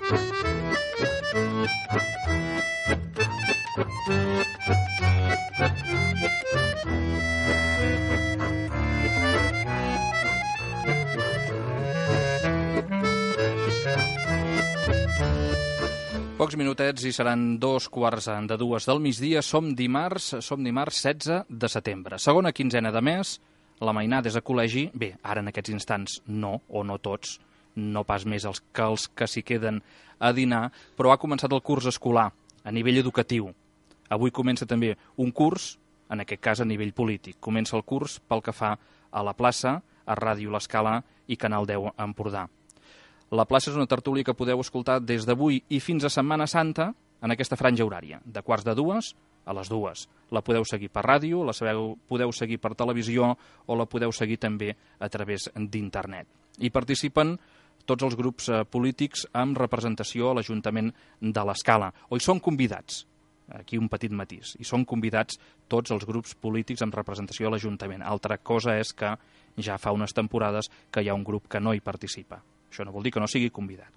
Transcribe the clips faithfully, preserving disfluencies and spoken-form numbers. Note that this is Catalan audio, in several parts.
Pocs minutets i seran dos quarts de dues del migdia. Som dimarts, som dimarts setze de setembre. Segona quinzena de mes, la mainada és a col·legi. Bé, ara en aquests instants no, o no tots, no pas més els que els que s'hi queden a dinar, però ha començat el curs escolar a nivell educatiu. Avui comença també un curs, en aquest cas a nivell polític. Comença el curs pel que fa a la plaça, a Ràdio L'Escala i Canal deu Empordà. La plaça és una tertúlia que podeu escoltar des d'avui i fins a Setmana Santa en aquesta franja horària, de quarts de dues a les dues. La podeu seguir per ràdio, la sabeu, podeu seguir per televisió o la podeu seguir també a través d'internet. Hi participen tots els grups eh, polítics amb representació a l'Ajuntament de l'Escala, o hi són convidats, aquí un petit matís, hi són convidats tots els grups polítics amb representació a l'Ajuntament. Altra cosa és que ja fa unes temporades que hi ha un grup que no hi participa. Això no vol dir que no sigui convidat.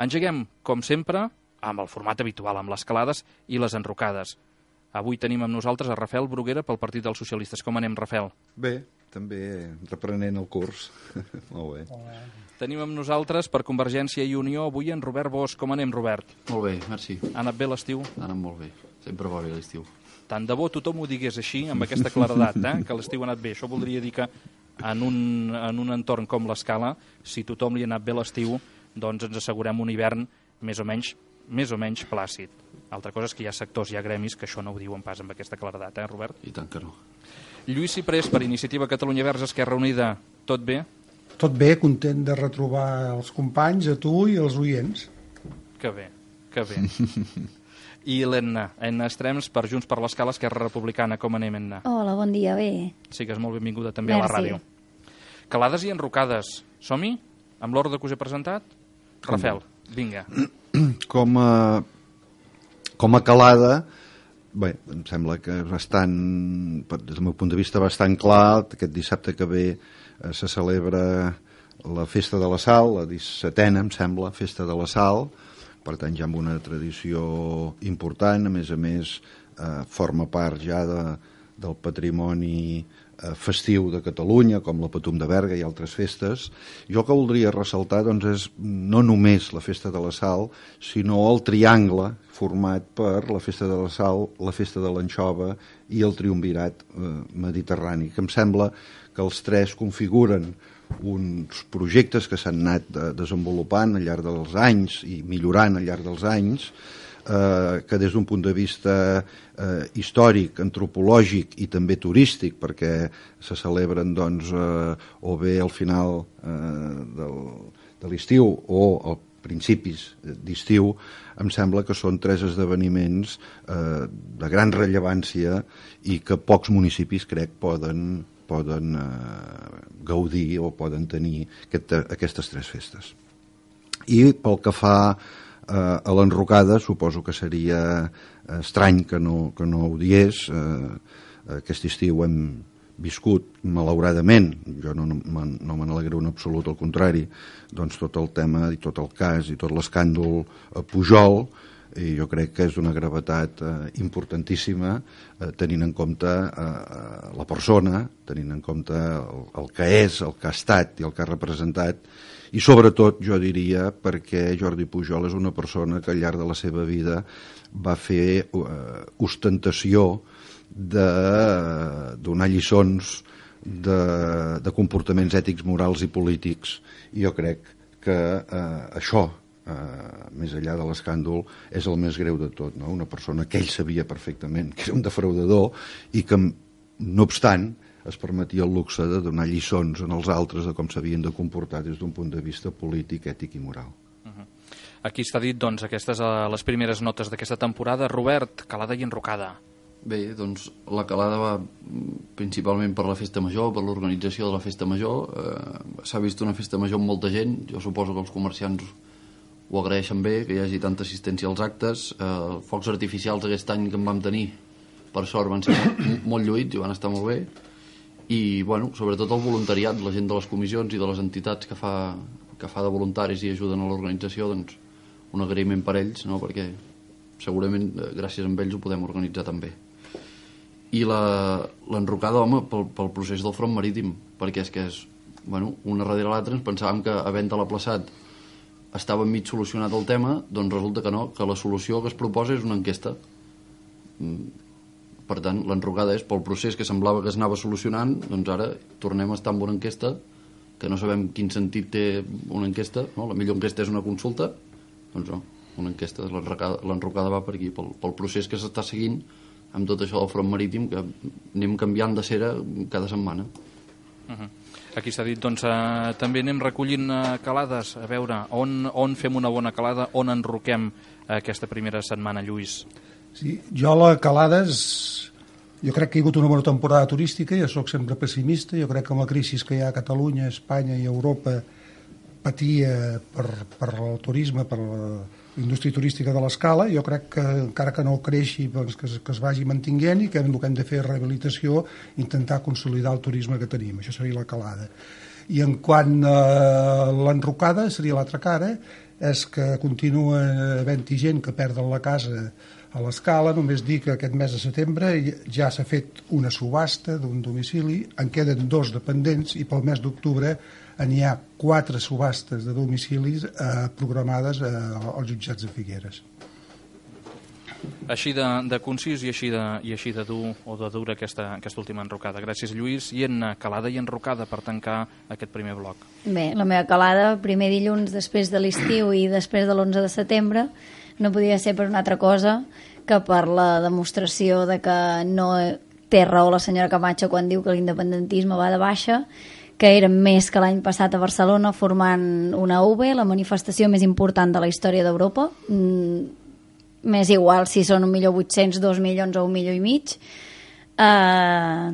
Engeguem, com sempre, amb el format habitual, amb les calades i les enrocades. Avui tenim amb nosaltres a Rafael Bruguera pel Partit dels Socialistes. Com anem, Rafael? Bé, també reprenent el curs. Molt bé. Tenim amb nosaltres per Convergència i Unió avui en Robert Bosch. Com anem, Robert? Molt bé, merci. Ha anat bé l'estiu? Ha anat molt bé. Sempre va bé l'estiu. Tant de bo tothom ho digués així, amb aquesta claredat, eh? que l'estiu ha anat bé. Això voldria dir que en un, en un entorn com l'Escala, si tothom li ha anat bé l'estiu, doncs ens assegurem un hivern més o menys, més o menys plàcid. Altra cosa és que hi ha sectors, hi ha gremis que això no ho diuen pas amb aquesta claredat, eh, Robert? I tant que no. Lluís Ciprés, per Iniciativa Catalunya Verds Esquerra Unida, tot bé? Tot bé, content de retrobar els companys, a tu i els oients. Que bé, que bé. I l'Enna, Enna Estrems, per Junts per l'Escala, Esquerra Republicana. Com anem, Enna? Hola, bon dia, bé. Sigues molt benvinguda també Merci. A la ràdio. Calades i enrocades. Som-hi? Amb l'ordre que us he presentat? Com Rafael, vinga. Com a, com a calada, bé, em sembla que és bastant, des del meu punt de vista, bastant clar. Aquest dissabte que ve eh, se celebra la Festa de la Sal, la dissetena, em sembla, Festa de la Sal. Per tant, ja amb una tradició important, a més a més, eh, forma part ja de, del patrimoni eh, festiu de Catalunya, com la Patum de Berga i altres festes. Jo que voldria ressaltar doncs, és no només la Festa de la Sal, sinó el triangle format per la Festa de la Sal, la Festa de l'Anxova i el Triumvirat eh, mediterrani, que em sembla que els tres configuren uns projectes que s'han anat desenvolupant al llarg dels anys i millorant al llarg dels anys, eh, que des d'un punt de vista eh, històric, antropològic i també turístic, perquè se celebren doncs, eh, o bé al final eh, del, de l'estiu o al principis d'estiu, em sembla que són tres esdeveniments eh, de gran rellevància i que pocs municipis, crec, poden poden eh, gaudir o poden tenir aquest, aquestes tres festes. I pel que fa eh, a l'enrocada, suposo que seria estrany que no, que no ho diés. Eh, aquest estiu hem viscut, malauradament, jo no, no, no me n'alegro en absolut, al contrari, doncs tot el tema i tot el cas i tot l'escàndol Pujol, i jo crec que és d'una gravetat eh, importantíssima, eh, tenint en compte eh, la persona, tenint en compte el, el que és, el que ha estat i el que ha representat, i sobretot, jo diria, perquè Jordi Pujol és una persona que al llarg de la seva vida va fer eh, ostentació de eh, donar lliçons de, de comportaments ètics, morals i polítics, i jo crec que eh, això, Uh, més enllà de l'escàndol, és el més greu de tot, no? Una persona que ell sabia perfectament que era un defraudador i que, no obstant, es permetia el luxe de donar lliçons en els altres de com s'havien de comportar des d'un punt de vista polític, ètic i moral. Uh-huh. Aquí està dit, doncs, aquestes uh, les primeres notes d'aquesta temporada. Robert, calada i enrocada. Bé, doncs la calada va principalment per la festa major, per l'organització de la festa major. Eh, s'ha vist una festa major amb molta gent, jo suposo que els comerciants ho agraeixen bé, que hi hagi tanta assistència als actes. Eh, focs artificials aquest any que en vam tenir, per sort, van ser molt, molt lluïts i van estar molt bé. I, bueno, sobretot el voluntariat, la gent de les comissions i de les entitats que fa, que fa de voluntaris i ajuden a l'organització, doncs un agraïment per ells, no? Perquè segurament gràcies a ells ho podem organitzar també. I l'enrocada, home, pel, pel procés del front marítim, perquè és que és, bueno, una darrere l'altra ens pensàvem que havent-te l'aplaçat estava mig solucionat el tema, doncs resulta que no, que la solució que es proposa és una enquesta. Per tant, l'enrocada és pel procés que semblava que es anava solucionant, doncs ara tornem a estar amb una enquesta que no sabem quin sentit té una enquesta, no? La millor enquesta és una consulta, doncs no, una enquesta, l'enrocada va per aquí, pel, pel procés que s'està seguint amb tot això del front marítim, que anem canviant de cera cada setmana. Uh-huh. Aquí s'ha dit, doncs, eh, també anem recollint eh, calades, a veure, on, on fem una bona calada, on enroquem eh, aquesta primera setmana, Lluís? Sí, jo la calades, jo crec que hi ha hagut una bona temporada turística, jo sóc sempre pessimista, jo crec que amb la crisi que hi ha a Catalunya, Espanya i Europa patia per, per el turisme, per la indústria turística de l'escala, jo crec que encara que no creixi, doncs, que, es, que es vagi mantinguent i que el que hem de fer és rehabilitació, intentar consolidar el turisme que tenim, això seria la calada. I en quant a l'enrocada, seria l'altra cara, és que continua havent-hi gent que perden la casa a l'escala. Només dir que aquest mes de setembre ja s'ha fet una subhasta d'un domicili, en queden dos dependents i pel mes d'octubre n'hi ha quatre subhastes de domicilis eh, programades eh, als jutjats de Figueres. Així de, de concís i així de, i així de dur o de dura aquesta, aquesta última enrocada. Gràcies, Lluís. I en calada i enrocada per tancar aquest primer bloc. Bé, la meva calada, primer dilluns després de l'estiu i després de l'onze de setembre, no podia ser per una altra cosa que per la demostració de que no té raó la senyora Camacho quan diu que l'independentisme va de baixa, que eren més que l'any passat a Barcelona formant una U B, la manifestació més important de la història d'Europa. Mm, m'és igual si són un milió vuit-cents, dos milions o un milió i mig. Eh,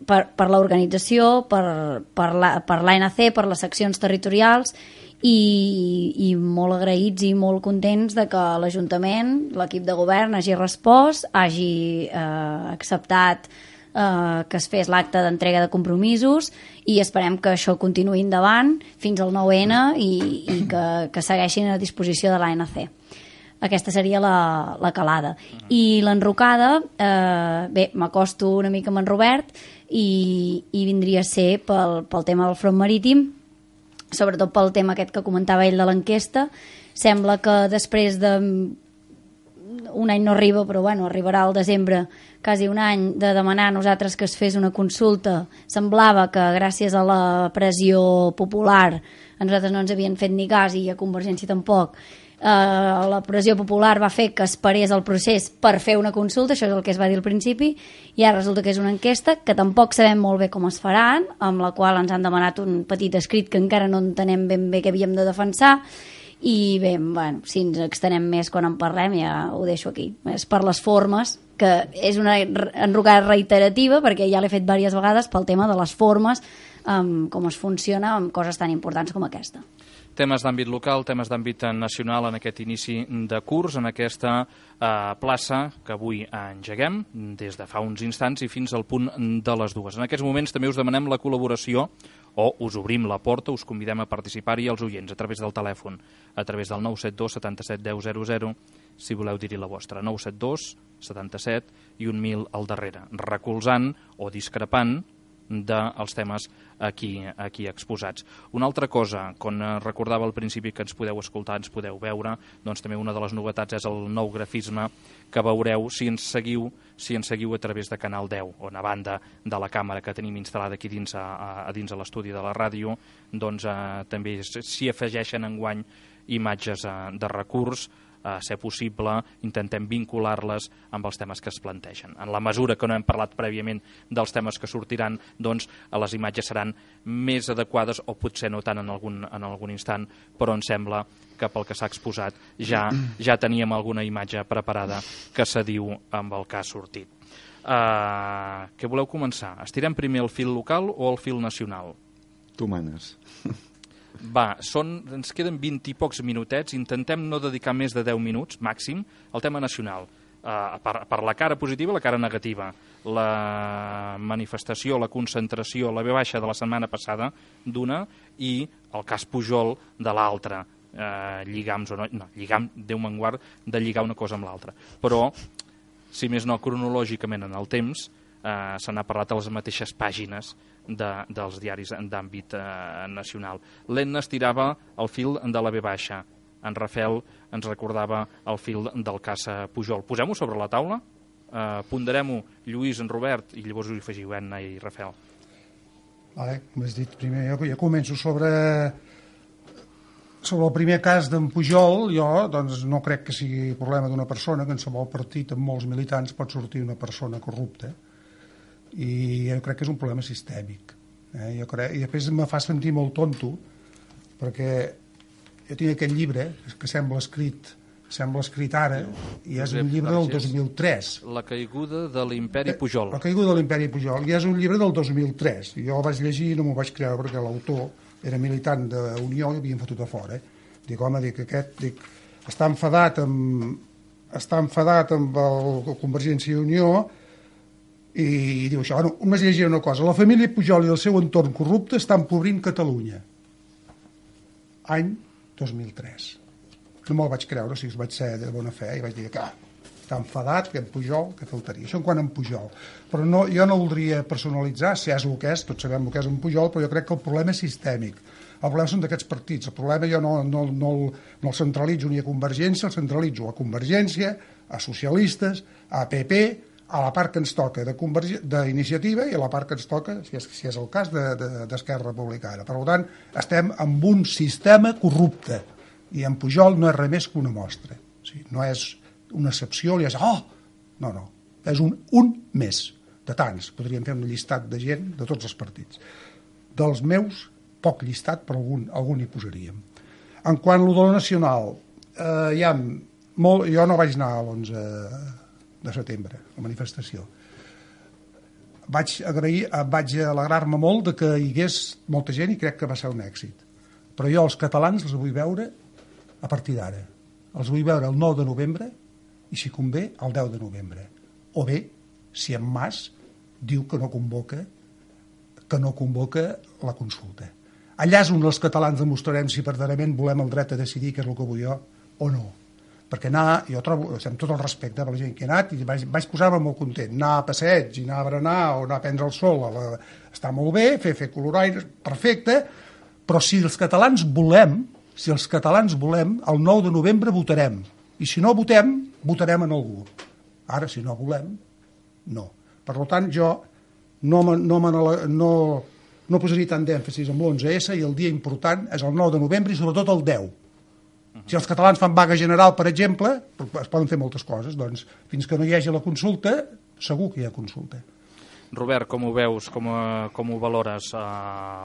per, per l'organització, per, per l'A N C, per les seccions territorials i, i molt agraïts i molt contents de que l'Ajuntament, l'equip de govern, hagi respost, hagi eh, acceptat eh, que es fes l'acte d'entrega de compromisos i esperem que això continuï endavant fins al nou ene i, i que, que segueixin a disposició de l'A N C. Aquesta seria la, la calada. I l'enrocada, eh, bé, m'acosto una mica amb en Robert i, i vindria a ser pel, pel tema del front marítim, sobretot pel tema aquest que comentava ell de l'enquesta. Sembla que després de un any no arriba, però bueno, arribarà al desembre, quasi un any de demanar a nosaltres que es fes una consulta. Semblava que gràcies a la pressió popular a nosaltres no ens havien fet ni cas i a Convergència tampoc. Uh, la pressió popular va fer que es parés el procés per fer una consulta, això és el que es va dir al principi, i ara resulta que és una enquesta que tampoc sabem molt bé com es faran, amb la qual ens han demanat un petit escrit que encara no entenem ben bé què havíem de defensar. I bé, bueno, si ens extenem més quan en parlem ja ho deixo aquí. És per les formes, que és una enrocada reiterativa, perquè ja l'he fet diverses vegades pel tema de les formes, um, com es funciona amb coses tan importants com aquesta. Temes d'àmbit local, temes d'àmbit nacional en aquest inici de curs, en aquesta eh, plaça que avui engeguem des de fa uns instants i fins al punt de les dues. En aquests moments també us demanem la col·laboració o us obrim la porta, us convidem a participar-hi als oients a través del telèfon, a través del nou set dos setanta-set deu zero zero, si voleu dir-hi la vostra, nou set dos setanta-set i un mil al darrere, recolzant o discrepant dels temes aquí, aquí exposats. Una altra cosa, quan recordava al principi que ens podeu escoltar, ens podeu veure, doncs també una de les novetats és el nou grafisme que veureu si ens seguiu, si ens seguiu a través de Canal deu, on a banda de la càmera que tenim instal·lada aquí dins a, a dins a l'estudi de la ràdio, doncs eh, també s'hi afegeixen enguany imatges eh, de recurs, a ser possible, intentem vincular-les amb els temes que es plantegen. En la mesura que no hem parlat prèviament dels temes que sortiran, doncs les imatges seran més adequades, o potser no tant en algun, en algun instant, però em sembla que pel que s'ha exposat ja, ja teníem alguna imatge preparada que s'adiu amb el que ha sortit. Uh, què voleu començar? Estirem primer el fil local o el fil nacional? Tu manes. Va, són, ens queden vint i pocs minutets, intentem no dedicar més de deu minuts, màxim, al tema nacional. Uh, per, per la cara positiva i la cara negativa. La manifestació, la concentració, la ve baixa de la setmana passada d'una i el cas Pujol de l'altra. Uh, lligams o no, no, lligam, Déu me'n guard de lligar una cosa amb l'altra. Però, si més no, cronològicament en el temps, uh, se n'ha parlat a les mateixes pàgines de, dels diaris d'àmbit uh, nacional. L'Enna estirava el fil de la ve baixa. En Rafel ens recordava el fil del cas Pujol. Posem-ho sobre la taula, eh, ponderem-ho Lluís, en Robert, i llavors us hi afegiu, Enna i Rafel. Vale, com has dit, primer jo, jo començo sobre, sobre el primer cas d'en Pujol. Jo doncs, no crec que sigui problema d'una persona, que en qualsevol partit amb molts militants pot sortir una persona corrupta, i jo crec que és un problema sistèmic. Eh? Jo crec, i després me fa sentir molt tonto, perquè jo tinc aquest llibre que sembla escrit sembla escrit ara, i és un llibre del dos mil tres. La caiguda de l'imperi Pujol. La caiguda de l'imperi Pujol, i és un llibre del dos mil tres. Jo el vaig llegir i no m'ho vaig creure perquè l'autor era militant d'Unió i havien fotut a fora. Dic, home, dic, aquest dic, està enfadat amb està enfadat amb el Convergència i Unió i, i diu això. Bueno, només llegiré una cosa. La família Pujol i el seu entorn corrupte estan empobrint Catalunya. Any dos mil tres. No me'l vaig creure, o sigui, vaig ser de bona fe i vaig dir que ah, està enfadat, que en Pujol, que faltaria. Això en quant a en Pujol. Però no, jo no voldria personalitzar, si és el que és, tots sabem el que és en Pujol, però jo crec que el problema és sistèmic. El problema són d'aquests partits. El problema jo no, no, no, no el centralitzo ni a Convergència, el centralitzo a Convergència, a socialistes, a P P, a la part que ens toca d'Iniciativa i a la part que ens toca, si és, si és el cas, d'Esquerra Republicana. Per tant, estem amb un sistema corrupte i en Pujol no és res més que una mostra. O sigui, no és una excepció, li és, oh! No, no, és un, un més de tants. Podríem fer un llistat de gent de tots els partits. Dels meus, poc llistat, però algun, algun hi posaríem. En quant a lo de la nacional, eh, hi ha molt, jo no vaig anar a l'onze de setembre, la manifestació. Vaig agrair, vaig alegrar-me molt de que hi hagués molta gent i crec que va ser un èxit. Però jo els catalans els vull veure a partir d'ara. Els vull veure el nou de novembre i, si convé, el deu de novembre. O bé, si en Mas diu que no convoca que no convoca la consulta. Allà és on els catalans demostrarem si verdaderament volem el dret a decidir, que és el que vull jo, o no. Perquè anar, jo trobo, amb tot el respecte per la gent que ha anat, i vaig, vaig posar-me molt content, anar a passeig, i anar a berenar o anar a prendre el sol, a la, està molt bé, fer, fer coloraires, perfecte, però si els catalans volem, si els catalans volem, el nou de novembre votarem, i si no votem, votarem en algú. Ara, si no volem, no. Per tant, jo no, no, no, no posaria tant d'èmfasis amb l'onze esse, i el dia important és el nou de novembre i sobretot el deu. Si els catalans fan vaga general, per exemple, es poden fer moltes coses, doncs fins que no hi hagi la consulta, segur que hi ha consulta. Robert, com ho veus, com, com ho valores, eh,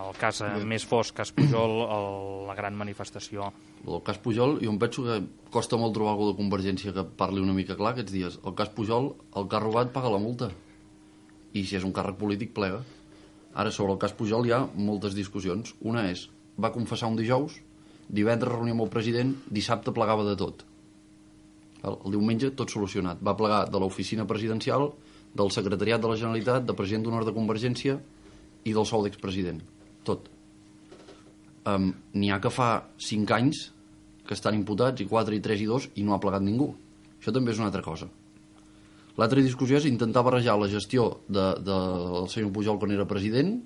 el cas eh, més fosc, cas Pujol, el, la gran manifestació? El cas Pujol, jo em penso que costa molt trobar algú de Convergència que parli una mica clar aquests dies. El cas Pujol, el que ha robat paga la multa, i si és un càrrec polític plega. Ara, sobre el cas Pujol hi ha moltes discussions. Una és, va confessar un dijous, divendres reunió amb el president, dissabte plegava de tot. El, el diumenge tot solucionat. Va plegar de l'oficina presidencial, del secretariat de la Generalitat, de president d'honor de Convergència i del sou d'expresident. Tot. Um, N'hi ha que fa cinc anys que estan imputats, i quatre, i tres, i dos, i no ha plegat ningú. Això també és una altra cosa. L'altra discussió és intentar barrejar la gestió del de, de senyor Pujol quan era president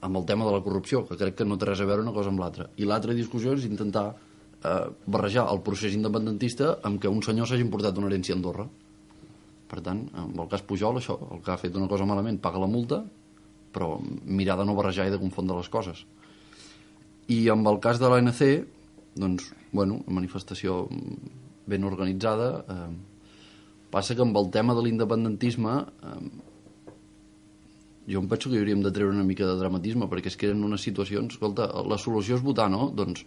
amb el tema de la corrupció, que crec que no té res a veure una cosa amb l'altra. I l'altra discussió és intentar eh, barrejar el procés independentista amb que un senyor s'hagi importat una herència a Andorra. Per tant, en el cas Pujol, això, el que ha fet una cosa malament paga la multa, però mirar de no barrejar i de confondre les coses. I amb el cas de l'A N C, doncs, bueno, una manifestació ben organitzada, eh, passa que amb el tema de l'independentisme eh, jo em penso que hi hauríem de treure una mica de dramatisme, perquè es queden unes situacions, escolta, la solució és votar, no? Doncs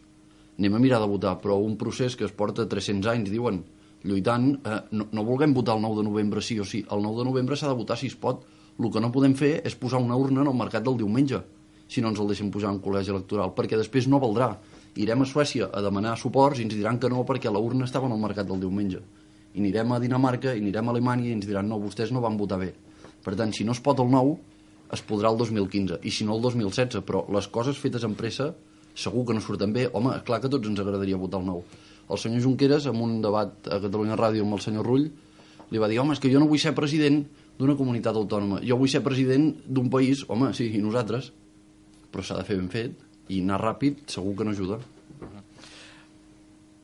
anem a mirar de votar, però un procés que es porta tres-cents anys, diuen, lluitant, eh, no, no vulguem votar el nou de novembre sí o sí, el nou de novembre s'ha de votar si es pot. El que no podem fer és posar una urna en el mercat del diumenge, si no ens el deixem posar en col·legi electoral, perquè després no valdrà. Irem a Suècia a demanar suports i ens diran que no perquè la urna estava en el mercat del diumenge. i anirem a Dinamarca i anirem a Alemanya i ens diran no, vostès no van votar bé. Per tant, si no es pot el nou, es podrà el dos mil quinze, i si no el dos mil setze, però les coses fetes en pressa segur que no surten bé. Home, clar que a tots ens agradaria votar el nou. El senyor Junqueras, en un debat a Catalunya Ràdio amb el senyor Rull, li va dir, home, és que jo no vull ser president d'una comunitat autònoma, jo vull ser president d'un país, home, sí, i nosaltres, però s'ha de fer ben fet, i anar ràpid segur que no ajuda.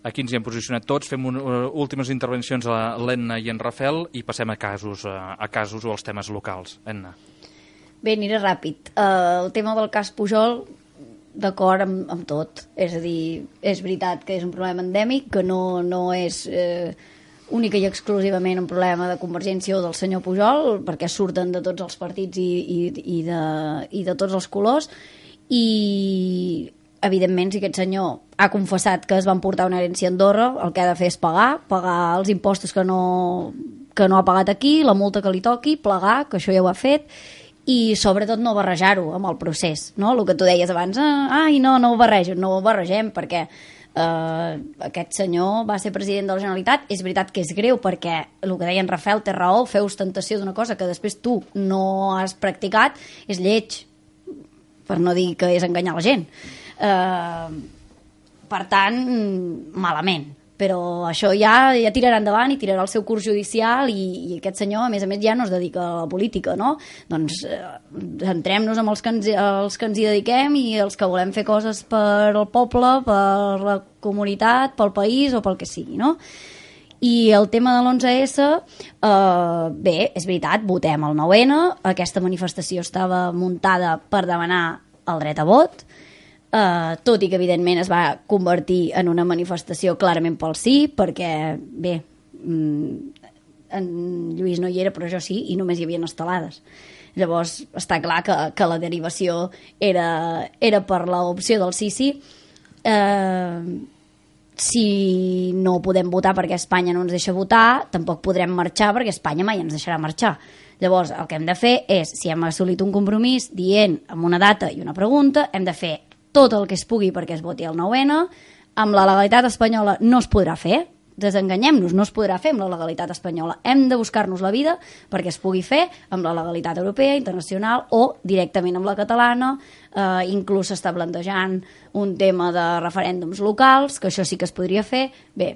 Aquí ens hi hem posicionat tots, fem un, uh, últimes intervencions a l'Enna i en Rafel i passem a casos, uh, a casos o als temes locals. Enna. Bé, aniré ràpid. Uh, el tema del cas Pujol, d'acord amb, amb tot. És a dir, és veritat que és un problema endèmic, que no, no és eh, única i exclusivament un problema de Convergència o del senyor Pujol, perquè surten de tots els partits i, i, i, de, i de tots els colors, i evidentment si aquest senyor ha confessat que es van portar una herència a Andorra, el que ha de fer és pagar, pagar els impostos que no, que no ha pagat aquí, la multa que li toqui, plegar, que això ja ho ha fet, i sobretot no barrejar-ho amb el procés, no? El que tu deies abans, ah, ai, no, no ho barrejo, no ho barregem, perquè eh, aquest senyor va ser president de la Generalitat, és veritat que és greu, perquè el que deia en Rafel té raó, fer ostentació d'una cosa que després tu no has practicat, és lleig, per no dir que és enganyar la gent. Eh, per tant, malament. Però això ja, ja tirarà endavant i tirarà el seu curs judicial i, i aquest senyor, a més a més, ja no es dedica a la política, no? Doncs eh, centrem-nos amb els que, ens, els que ens hi dediquem i els que volem fer coses per al poble, per la comunitat, pel país o pel que sigui, no? I el tema de l'onze esse, eh, bé, és veritat, votem el nou ene, aquesta manifestació estava muntada per demanar el dret a vot, Uh, tot i que evidentment es va convertir en una manifestació clarament pel sí, perquè bé, mm, en Lluís no hi era però jo sí, i només hi havia estelades. Llavors està clar que, que la derivació era, era per l'opció del sí sí. Uh, si no podem votar perquè Espanya no ens deixa votar, tampoc podrem marxar perquè Espanya mai ens deixarà marxar. Llavors el que hem de fer és, si hem assolit un compromís dient amb una data i una pregunta, hem de fer tot el que es pugui perquè es voti el nou ene, amb la legalitat espanyola no es podrà fer, desenganyem-nos, no es podrà fer amb la legalitat espanyola, hem de buscar-nos la vida perquè es pugui fer amb la legalitat europea, internacional o directament amb la catalana, eh, inclús s'està plantejant un tema de referèndums locals, que això sí que es podria fer. Bé,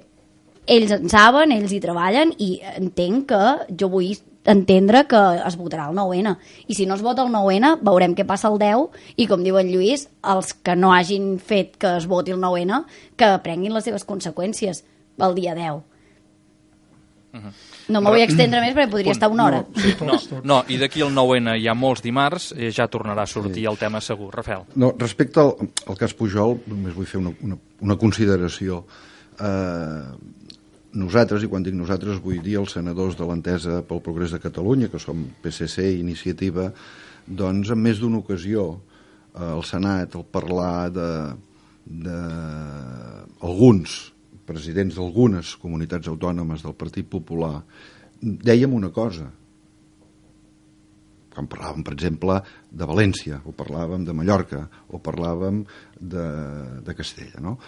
ells en saben, ells hi treballen i entenc que jo vull entendre que es votarà el nou ene, i si no es vota el nou ene veurem què passa el deu i, com diu en Lluís, els que no hagin fet que es voti el nou ene que prenguin les seves conseqüències el dia deu. Uh-huh. No m'ho vull extendre més perquè podria estar una hora. No, no, no, i d'aquí al nou ene hi ha molts dimarts, eh, ja tornarà a sortir sí. el tema segur. Rafel. No, respecte al, al cas Pujol, només vull fer una, una, una consideració. Eh... Nosaltres, i quan dic nosaltres vull dir els senadors de l'Entesa pel Progrés de Catalunya, que som P S C i Iniciativa, doncs en més d'una ocasió eh, al Senat, al parlar de, de alguns presidents d'algunes comunitats autònomes del Partit Popular, dèiem una cosa. Quan parlàvem, per exemple, de València, o parlàvem de Mallorca, o parlàvem de, de Castella, no?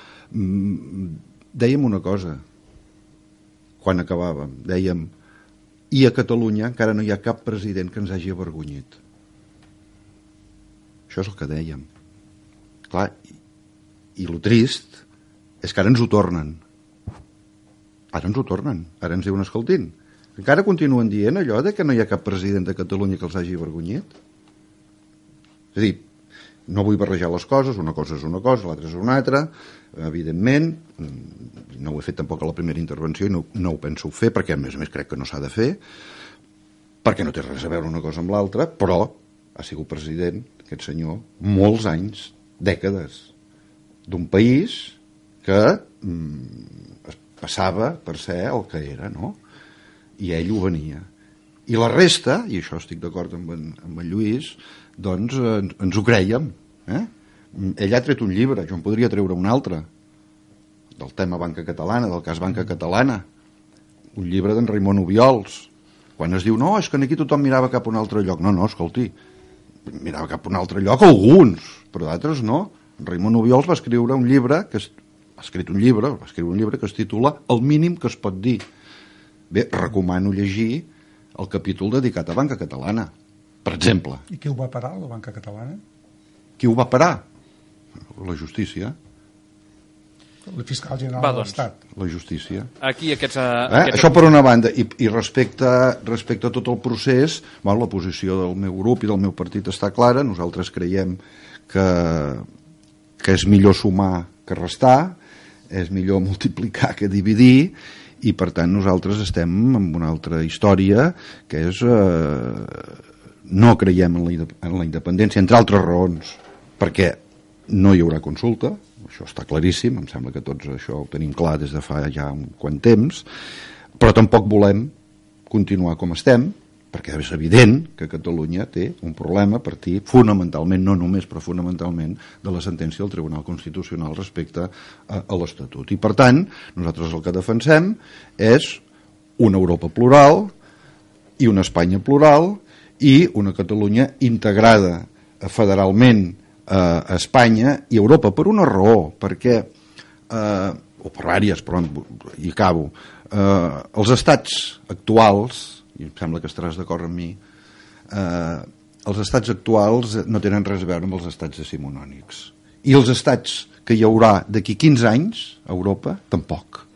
Dèiem una cosa, quan acabàvem, dèiem, i a Catalunya encara no hi ha cap president que ens hagi avergonyit. Això és el que dèiem. Clar, i, i el trist és que ara ens ho tornen. Ara ens ho tornen. Ara ens diuen, escoltin, encara continuen dient allò de que no hi ha cap president de Catalunya que els hagi avergonyit? És a dir, no vull barrejar les coses, una cosa és una cosa, l'altra és una altra, evidentment, no ho he fet tampoc a la primera intervenció i no, no ho penso fer perquè a més a més crec que no s'ha de fer, perquè no té res a veure una cosa amb l'altra, però ha sigut president, aquest senyor, molts anys, dècades, d'un país que mm, es passava per ser el que era, no? I ell ho venia. I la resta, i això estic d'acord amb, en, amb en Lluís, doncs eh, ens ho creiem. Eh? Ell ha tret un llibre, jo en podria treure un altre, del tema Banca Catalana, del cas Banca Catalana, un llibre d'en Raimon Obiols, quan es diu, no, és que aquí tothom mirava cap a un altre lloc. No, no, escolti, mirava cap a un altre lloc alguns, però d'altres no. En Raimon Obiols va escriure un llibre, que es, ha escrit un llibre, va escriure un llibre que es titula El mínim que es pot dir. Bé, recomano llegir el capítol dedicat a Banca Catalana, per exemple. I qui ho va parar, la Banca Catalana? Qui ho va parar? La justícia. El fiscal general Va, de doncs. l'Estat. La justícia. Aquí aquests... Uh, Eh? aquests... Això per una banda. I, i respecte, respecte a tot el procés, bueno, la posició del meu grup i del meu partit està clara. Nosaltres creiem que, que és millor sumar que restar, és millor multiplicar que dividir, i per tant nosaltres estem en una altra història, que és... Eh, no creiem en la, en la independència, entre altres raons, perquè no hi haurà consulta, això està claríssim, em sembla que tots això ho tenim clar des de fa ja un quant temps, però tampoc volem continuar com estem, perquè és evident que Catalunya té un problema a partir fonamentalment, no només, però fonamentalment, de la sentència del Tribunal Constitucional respecte a, a l'Estatut. I per tant, nosaltres el que defensem és una Europa plural i una Espanya plural i una Catalunya integrada federalment a Espanya i Europa per una raó, perquè, eh, o per diverses, però hi acabo, eh, els estats actuals, i em sembla que estaràs d'acord amb mi, eh, els estats actuals no tenen res a veure amb els estats decimonònics. I els estats que hi haurà d'aquí quinze anys a Europa, tampoc.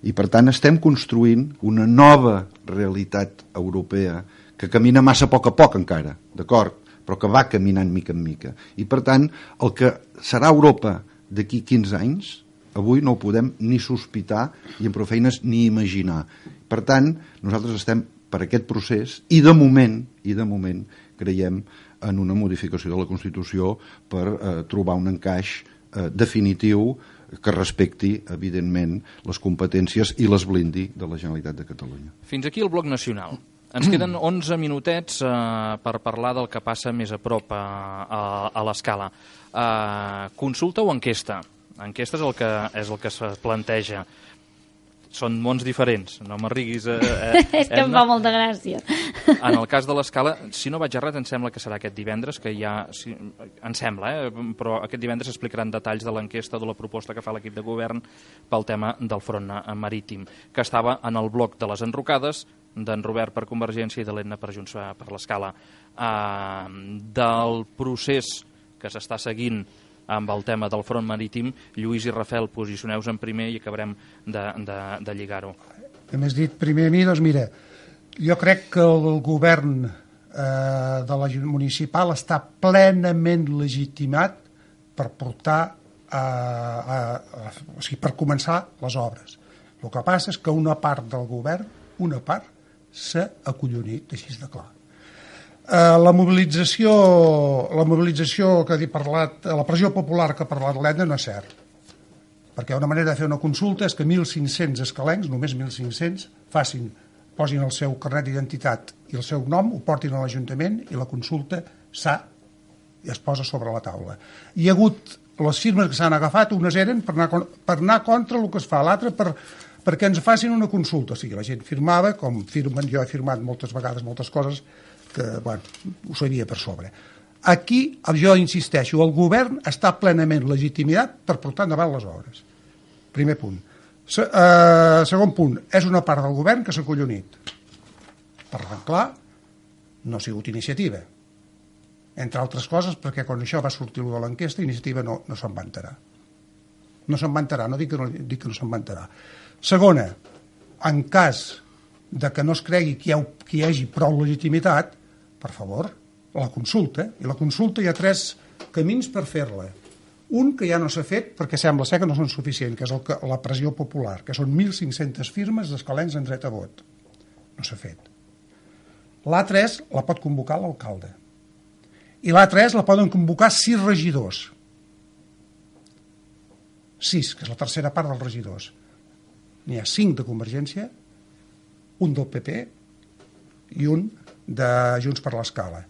I per tant estem construint una nova realitat europea que camina massa a poc a poc encara, d'acord? Però que va caminant mica en mica. I per tant, el que serà Europa d'aquí quinze anys, avui no ho podem ni sospitar i amb prou feines ni imaginar. Per tant, nosaltres estem per aquest procés i de moment, i de moment creiem en una modificació de la Constitució per eh, trobar un encaix eh, definitiu que respecti, evidentment, les competències i les blindi de la Generalitat de Catalunya. Fins aquí el bloc nacional. Ens queden onze minutets eh, per parlar del que passa més a prop a, a, a l'escala. Eh, consulta o enquesta? Enquesta és el que, és el que es planteja. Són mons diferents, no m'arriguis... Eh, eh, és que em fa molta gràcia. En el cas de l'escala, si no vaig errat, em sembla que serà aquest divendres, que ja... Si, em sembla, eh, però aquest divendres s'explicaran detalls de l'enquesta de la proposta que fa l'equip de govern pel tema del front marítim, que estava en el bloc de les enrocades, d'en Robert per Convergència i de l'Edna per Junts per l'Escala. Uh, del procés que s'està seguint amb el tema del front marítim, Lluís i Rafael, posicioneu-vos en primer i acabarem de, de, de lligar-ho. Que m'has dit primer a mi, doncs mira, jo crec que el govern eh, de la municipal està plenament legitimat per portar a, a, a, o sigui, per començar les obres. El que passa és que una part del govern, una part, s'ha acollonit, així de clar. Uh, la mobilització la mobilització que he parlat, la pressió popular que ha parlat l'Edna no és cert, perquè una manera de fer una consulta és que mil cinc-cents escalencs, només mil cinc-cents, facin, posin el seu carnet d'identitat i el seu nom, ho portin a l'Ajuntament i la consulta s'ha i es posa sobre la taula. Hi ha hagut les firmes que s'han agafat, unes eren per anar, per anar contra el que es fa, l'altra per, perquè ens facin una consulta. O sigui, la gent firmava, com firmen, jo he firmat moltes vegades moltes coses que, bueno, ho sabia per sobre. Aquí, jo insisteixo, el govern està plenament legitimitat per portar endavant les obres. Primer punt. Se, eh, segon punt, és una part del govern que s'ha collonit. Per clar, no ha sigut iniciativa. Entre altres coses, perquè quan això va sortir de l'enquesta, iniciativa no, no se'n va enterar. No se'n va enterar, no dic que no, dic que no se'n va enterar. Segona, en cas de que no es cregui que hi, ha, que hi hagi prou legitimitat, per favor, la consulta. I la consulta hi ha tres camins per fer-la. Un que ja no s'ha fet perquè sembla ser que no són suficients, que és el que, la pressió popular, que són mil cinc-centes firmes d'escalencs en dret a vot. No s'ha fet. L'altre és, la pot convocar l'alcalde. I l'altre és, la poden convocar sis regidors. Sis, que és la tercera part dels regidors. N'hi ha cinc de Convergència, un del P P i un de Junts per l'Escala.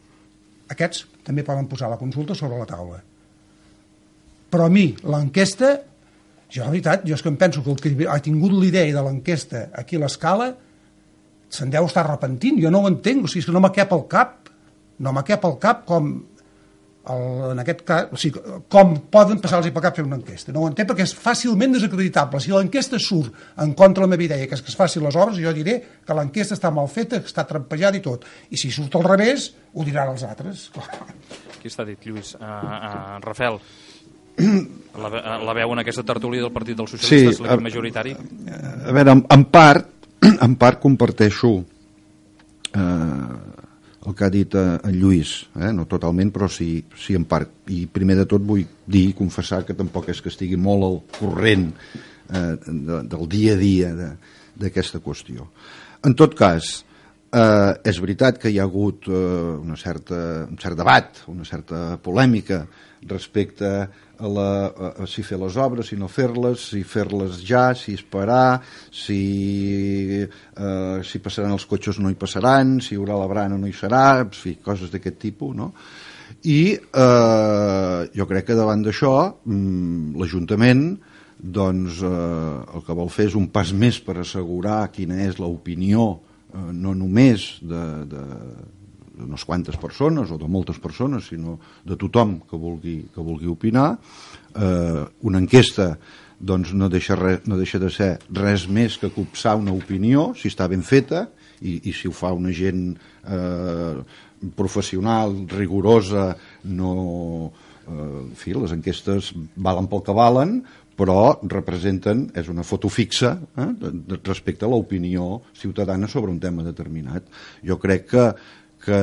Aquests també poden posar la consulta sobre la taula. Però a mi, l'enquesta, jo la veritat, jo és que em penso que el que ha tingut l'idea de l'enquesta aquí a l'Escala se'n deu estar arrepentint, jo no ho entenc, o sigui, és que no m'ha cap al cap, no m'ha cap al cap com el, en aquest cas, o sigui, com poden passar-los per cap fer una enquesta. No ho entenc perquè és fàcilment desacreditable. Si l'enquesta surt en contra de la meva idea, que és que es facin les obres, jo diré que l'enquesta està mal feta, que està trampejada i tot. I si surt al revés, ho diran els altres. Qui està dit, Lluís? Uh, uh, Rafael, la, la veu en aquesta tertúlia del Partit dels Socialistes, sí, l'equip majoritari? A veure, en, en part, en part comparteixo eh, el que ha dit en Lluís, eh? No totalment, però sí, sí en part. I primer de tot vull dir i confessar que tampoc és que estigui molt al corrent eh, de, del dia a dia d'aquesta qüestió. En tot cas, eh, és veritat que hi ha hagut eh, una certa, un cert debat, una certa polèmica respecte a, la, a, a si fer les obres, si no fer-les, si fer-les ja, si esperar, si, eh, si passaran els cotxes o no hi passaran, si hi haurà la brana o no hi serà, en fi, coses d'aquest tipus, no? I eh, jo crec que davant d'això mm, l'Ajuntament doncs, eh, el que vol fer és un pas més per assegurar quina és l'opinió eh, no només de, de unes quantes persones o de moltes persones, sinó de tothom que vulgui, que vulgui opinar. Eh, una enquesta doncs, no, deixa res, no deixa de ser res més que copsar una opinió, si està ben feta, i, i si ho fa una gent eh, professional, rigorosa, no... Eh, en fi, les enquestes valen pel que valen, però representen, és una foto fixa eh, de, de, respecte a l'opinió ciutadana sobre un tema determinat. Jo crec que que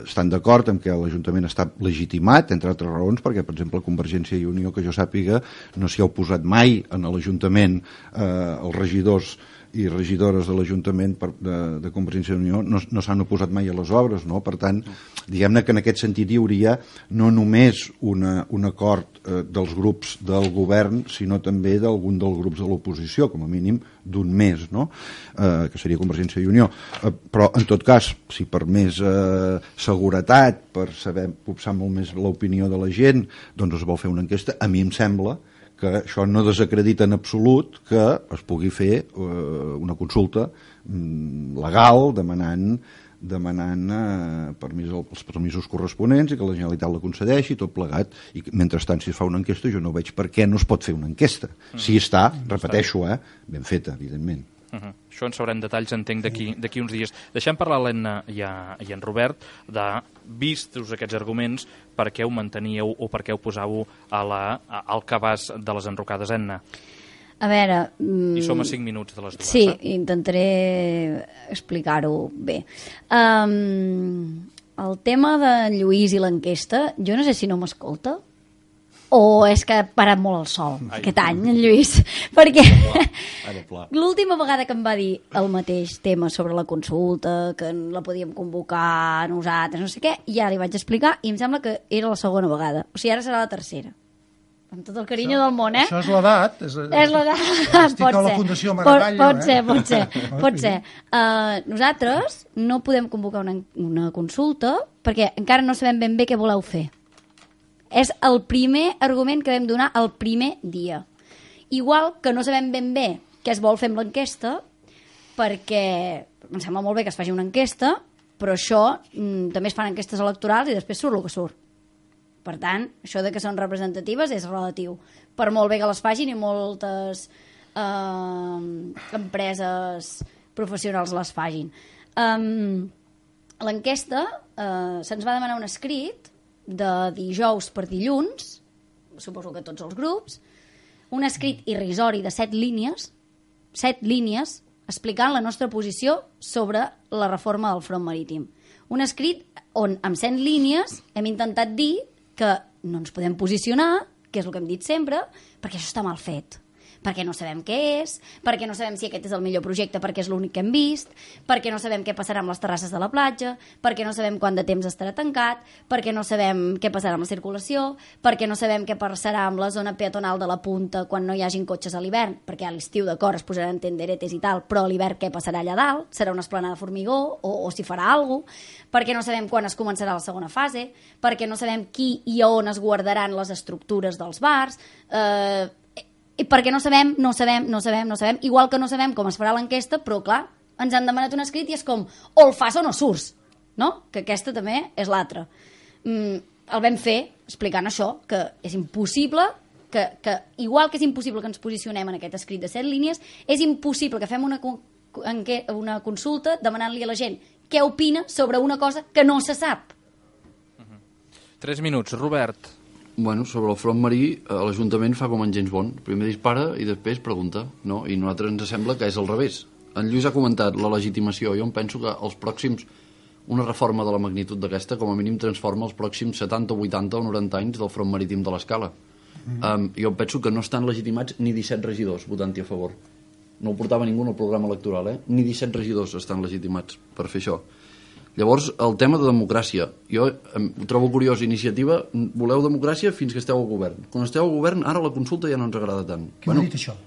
estan d'acord amb que l'Ajuntament està legitimat, entre altres raons, perquè, per exemple, Convergència i Unió, que jo sàpiga, no s'hi ha oposat mai en l'Ajuntament, eh, els regidors i regidores de l'Ajuntament de, de Convergència i Unió no, no s'han oposat mai a les obres, no? Per tant, diguem-ne que en aquest sentit hi hauria no només una, un acord eh, dels grups del govern, sinó també d'algun dels grups de l'oposició, com a mínim d'un més, no? Eh, que seria Convergència i Unió. Eh, però, en tot cas, si per més eh, seguretat, per saber copsar molt més l'opinió de la gent, doncs es vol fer una enquesta, a mi em sembla que això no desacredita en absolut que es pugui fer eh, una consulta mm, legal demanant, demanant eh, permís, els permisos corresponents i que la Generalitat la concedeixi, tot plegat. I mentrestant, si es fa una enquesta, jo no veig per què no es pot fer una enquesta. Mm. Si està, repeteixo, eh, ben feta, evidentment. Uh -huh. Això en sabrem detalls, entenc, d'aquí uns dies. Deixem parlar l'Enna i, i en Robert de, vistos aquests arguments, per què ho manteníeu o per què ho posàveu a la, a, al cabàs de les enrocades, Enna? A veure... I som a cinc minuts de les dues. Sí, eh? intentaré explicar-ho bé. Um, el tema de Lluís i l'enquesta, jo no sé si no m'escolta, o és que ha parat molt el sol Ai. aquest any, en Lluís, perquè l'última vegada que em va dir el mateix tema sobre la consulta, que la podíem convocar nosaltres, no sé què, ja li vaig explicar i em sembla que era la segona vegada, o sigui, ara serà la tercera. Amb tot el carinyo això, del món, eh? Això és l'edat. És, és l'edat, estic pot a la ser. Fundació Maragall, pot, pot eh? ser, pot ser, pot ser. Uh, nosaltres no podem convocar una, una consulta perquè encara no sabem ben bé què voleu fer. És el primer argument que vam donar el primer dia. Igual que no sabem ben bé què es vol fer amb l'enquesta, perquè em sembla molt bé que es faci una enquesta, però això mm, també es fan enquestes electorals i després surt el que surt. Per tant, això de que són representatives és relatiu. Per molt bé que les facin i moltes eh, empreses professionals les facin. Um, l'enquesta eh, se'ns va demanar un escrit de dijous per dilluns, suposo que tots els grups, un escrit irrisori de set línies, set línies explicant la nostra posició sobre la reforma del front marítim. Un escrit on, amb set línies, hem intentat dir que no ens podem posicionar, que és el que hem dit sempre, perquè això està mal fet. Perquè no sabem què és, perquè no sabem si aquest és el millor projecte perquè és l'únic que hem vist, perquè no sabem què passarà amb les terrasses de la platja, perquè no sabem quant de temps estarà tancat, perquè no sabem què passarà amb la circulació, perquè no sabem què passarà amb la zona peatonal de la punta quan no hi hagin cotxes a l'hivern, perquè a l'estiu d'acord es posaran tenderetes i tal, però a l'hivern què passarà allà dalt? Serà una esplanada de formigó o, o si farà alguna cosa? Perquè no sabem quan es començarà la segona fase, perquè no sabem qui i on es guardaran les estructures dels bars, eh, i perquè no sabem, no sabem, no sabem, no sabem, igual que no sabem com es farà l'enquesta, però clar, ens han demanat un escrit i és com, o el fas o no surts, no? Que aquesta també és l'altra. Mm, el vam fer explicant això, que és impossible, que, que igual que és impossible que ens posicionem en aquest escrit de set línies, és impossible que fem una, una consulta demanant-li a la gent què opina sobre una cosa que no se sap. Uh-huh. Tres minuts. Robert. Bueno, sobre el front marí, l'Ajuntament fa com en James Bond. Primer dispara i després pregunta, no? I a nosaltres ens sembla que és al revés. En Lluís ha comentat la legitimació. Jo em penso que els pròxims, una reforma de la magnitud d'aquesta, com a mínim transforma els pròxims setanta, vuitanta o noranta anys del front marítim de l'Escala. Mm. Um, jo penso que no estan legitimats ni disset regidors votant-hi a favor. No ho portava ningú en el programa electoral, eh? Ni disset regidors estan legitimats per fer això. Llavors, el tema de democràcia. Jo em, ho trobo curiós. Iniciativa, voleu democràcia fins que esteu al govern. Quan esteu al govern, ara la consulta ja no ens agrada tant. Qui bueno, ho ha dit això?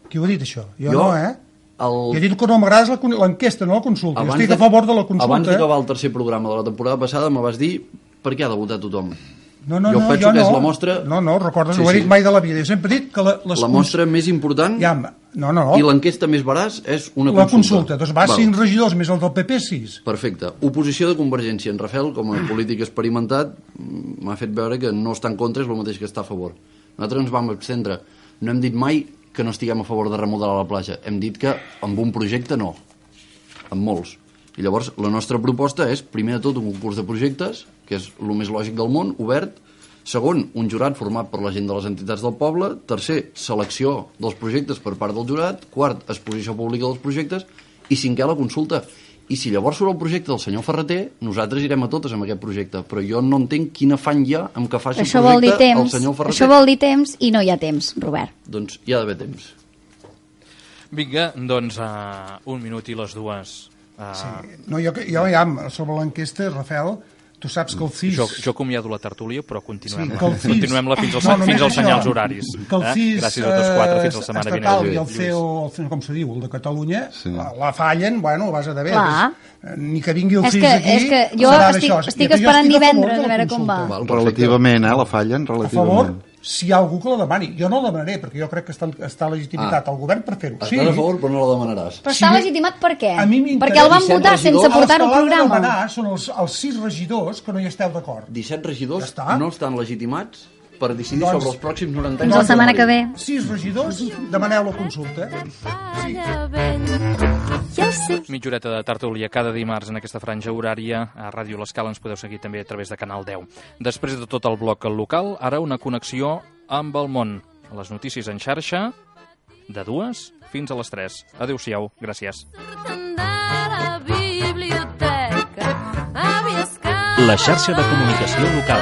Qui ho ha dit això? Jo, jo no, eh? El... Jo he dit que no m'agrada l'enquesta, no la consulta. Abans jo estic a favor de la consulta. Abans d'acabar el tercer programa de la temporada passada me vas dir per què ha de votar tothom. No, no, jo no, penso jo que no. és la mostra... No, no, recordes, sí, no ho he dit sí. mai de la vida. Jo sempre he dit que la, les la mostra cons... més important ja, no, no. i l'enquesta més veraç és una la consulta. La consulta. Doncs va, cinc regidors més el del P P, sis. Perfecte. Oposició de Convergència. En Rafael, com a polític experimentat, m'ha fet veure que no està en contra, és el mateix que està a favor. Nosaltres ens vam abstendre. No hem dit mai que no estiguem a favor de remodelar la platja. Hem dit que amb un projecte no. Amb molts. I llavors la nostra proposta és, primer de tot, un concurs de projectes, que és el més lògic del món, obert. Segon, un jurat format per la gent de les entitats del poble. Tercer, selecció dels projectes per part del jurat. Quart, exposició pública dels projectes. I cinquè, la consulta. I si llavors surt el projecte del senyor Ferreter, nosaltres irem a totes amb aquest projecte. Però jo no entenc quin afany hi ha amb que faci això el projecte temps, el senyor Ferreter. Això vol dir temps i no hi ha temps, Robert. Doncs hi ha d'haver temps. Vinga, doncs uh, un minut i les dues. Uh... Sí. No, jo, jo ja, sobre l'enquesta, Rafael, tu saps que el C I S... Jo, jo acomiado la tertúlia, però continuem-la sí, C I S... continuem fins, als, no, fins als senyals horaris. Que el C I S, eh? Gràcies a tots quatre, fins la setmana vinent. Estatal i el C E O, el, com se diu, el de Catalunya, sí. la, la fallen, bueno, vas a de veure. Ni que vingui el és C I S que, aquí... És que jo estic, estic esperant divendres a veure com va. Relativament, eh, la fallen, relativament. A favor, si hi ha algú que la demani. Jo no la demanaré, perquè jo crec que està, està legitimitat ah. al govern per fer-ho. Estàs sí. a favor, però no la demanaràs. Però està sí. legitimat per què? Perquè el van votar sense portar-ho al programa. Els que l'han de demanar són els, els sis regidors que no hi esteu d'acord. disset regidors ja no estan legitimats per decidir doncs, sobre els pròxims noranta anys. Doncs la setmana que ve. sis regidors, demaneu la consulta. Sí. Mitja horeta de tertúlia cada dimarts en aquesta franja horària. A Ràdio L'Escala ens podeu seguir també a través de Canal deu. Després de tot el bloc local, ara una connexió amb el món. Les notícies en xarxa, de dues fins a les tres. Adéu-siau, gràcies. La xarxa de comunicació local.